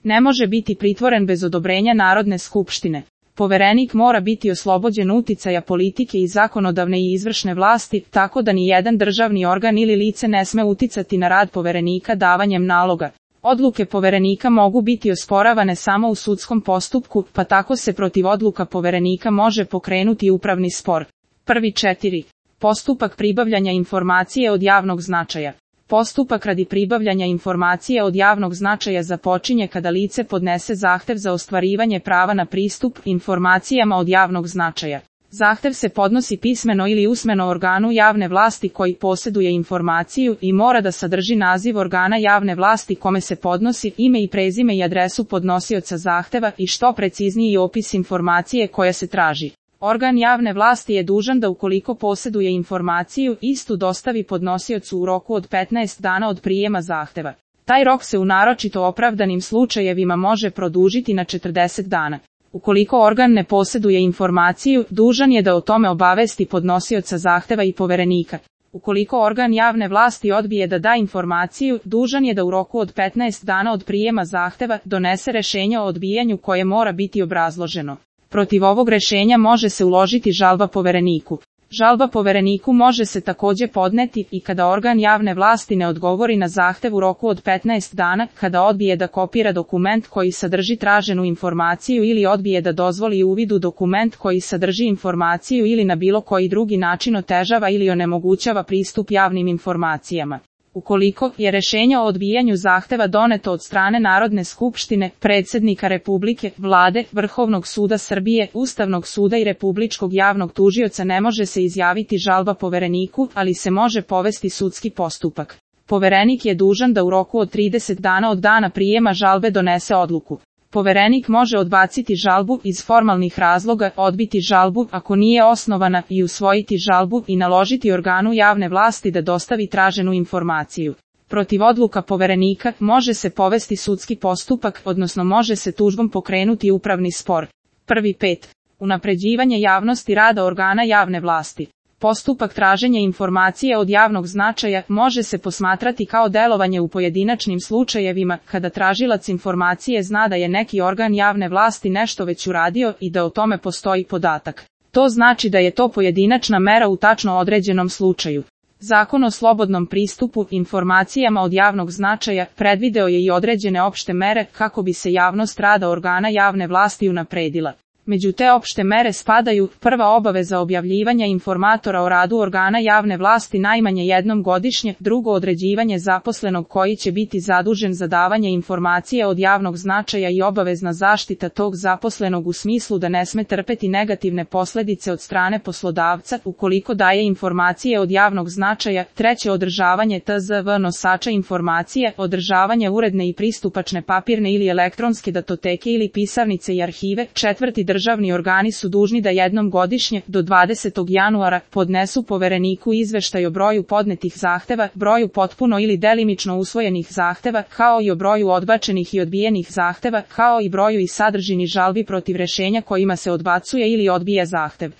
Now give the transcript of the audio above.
Ne može biti pritvoren bez odobrenja Narodne skupštine. Poverenik mora biti oslobođen uticaja politike i zakonodavne i izvršne vlasti, tako da ni jedan državni organ ili lice ne sme uticati na rad poverenika davanjem naloga. Odluke poverenika mogu biti osporavane samo u sudskom postupku, pa tako se protiv odluka poverenika može pokrenuti upravni spor. Prvi 4. Postupak pribavljanja informacije od javnog značaja. Postupak radi pribavljanja informacije od javnog značaja započinje kada lice podnese zahtev za ostvarivanje prava na pristup informacijama od javnog značaja. Zahtev se podnosi pismeno ili usmeno organu javne vlasti koji posjeduje informaciju i mora da sadrži naziv organa javne vlasti kome se podnosi, ime i prezime i adresu podnosioca zahteva i što precizniji opis informacije koja se traži. Organ javne vlasti je dužan da ukoliko posjeduje informaciju, istu dostavi podnosiocu u roku od 15 dana od prijema zahteva. Taj rok se u naročito opravdanim slučajevima može produžiti na 40 dana. Ukoliko organ ne posjeduje informaciju, dužan je da o tome obavesti podnosioca zahteva i poverenika. Ukoliko organ javne vlasti odbije da da informaciju, dužan je da u roku od 15 dana od prijema zahteva donese rješenje o odbijanju koje mora biti obrazloženo. Protiv ovog rješenja može se uložiti žalba povereniku. Žalba povereniku može se također podneti i kada organ javne vlasti ne odgovori na zahtev u roku od 15 dana, kada odbije da kopira dokument koji sadrži traženu informaciju ili odbije da dozvoli uvid u dokument koji sadrži informaciju ili na bilo koji drugi način otežava ili onemogućava pristup javnim informacijama. Ukoliko je rješenje o odbijanju zahteva doneto od strane Narodne skupštine, predsjednika Republike, Vlade, Vrhovnog suda Srbije, Ustavnog suda i Republičkog javnog tužioca ne može se izjaviti žalba povereniku, ali se može povesti sudski postupak. Poverenik je dužan da u roku od 30 dana od dana prijema žalbe donese odluku. Poverenik može odbaciti žalbu iz formalnih razloga, odbiti žalbu ako nije osnovana i usvojiti žalbu i naložiti organu javne vlasti da dostavi traženu informaciju. Protiv odluka poverenika može se povesti sudski postupak, odnosno može se tužbom pokrenuti upravni spor. Prvi 5. Unapređivanje javnosti rada organa javne vlasti. Postupak traženja informacije od javnog značaja može se posmatrati kao delovanje u pojedinačnim slučajevima, kada tražilac informacije zna da je neki organ javne vlasti nešto već uradio i da o tome postoji podatak. To znači da je to pojedinačna mera u tačno određenom slučaju. Zakon o slobodnom pristupu informacijama od javnog značaja predvideo je i određene opšte mere kako bi se javnost rada organa javne vlasti unapredila. Među te opšte mere spadaju: prva, obaveza objavljivanja informatora o radu organa javne vlasti najmanje jednom godišnje; drugo, određivanje zaposlenog koji će biti zadužen za davanje informacije od javnog značaja i obavezna zaštita tog zaposlenog u smislu da ne sme trpeti negativne posljedice od strane poslodavca ukoliko daje informacije od javnog značaja; treće, održavanje tzv. Nosača informacije, održavanje uredne i pristupačne papirne ili elektronske datoteke ili pisarnice i arhive; četvrti, državni organi su dužni da jednom godišnje, do 20. januara, podnesu povereniku izveštaj o broju podnetih zahteva, broju potpuno ili delimično usvojenih zahteva, kao i o broju odbačenih i odbijenih zahteva, kao i broju i sadržini žalbi protiv rješenja kojima se odbacuje ili odbija zahtev.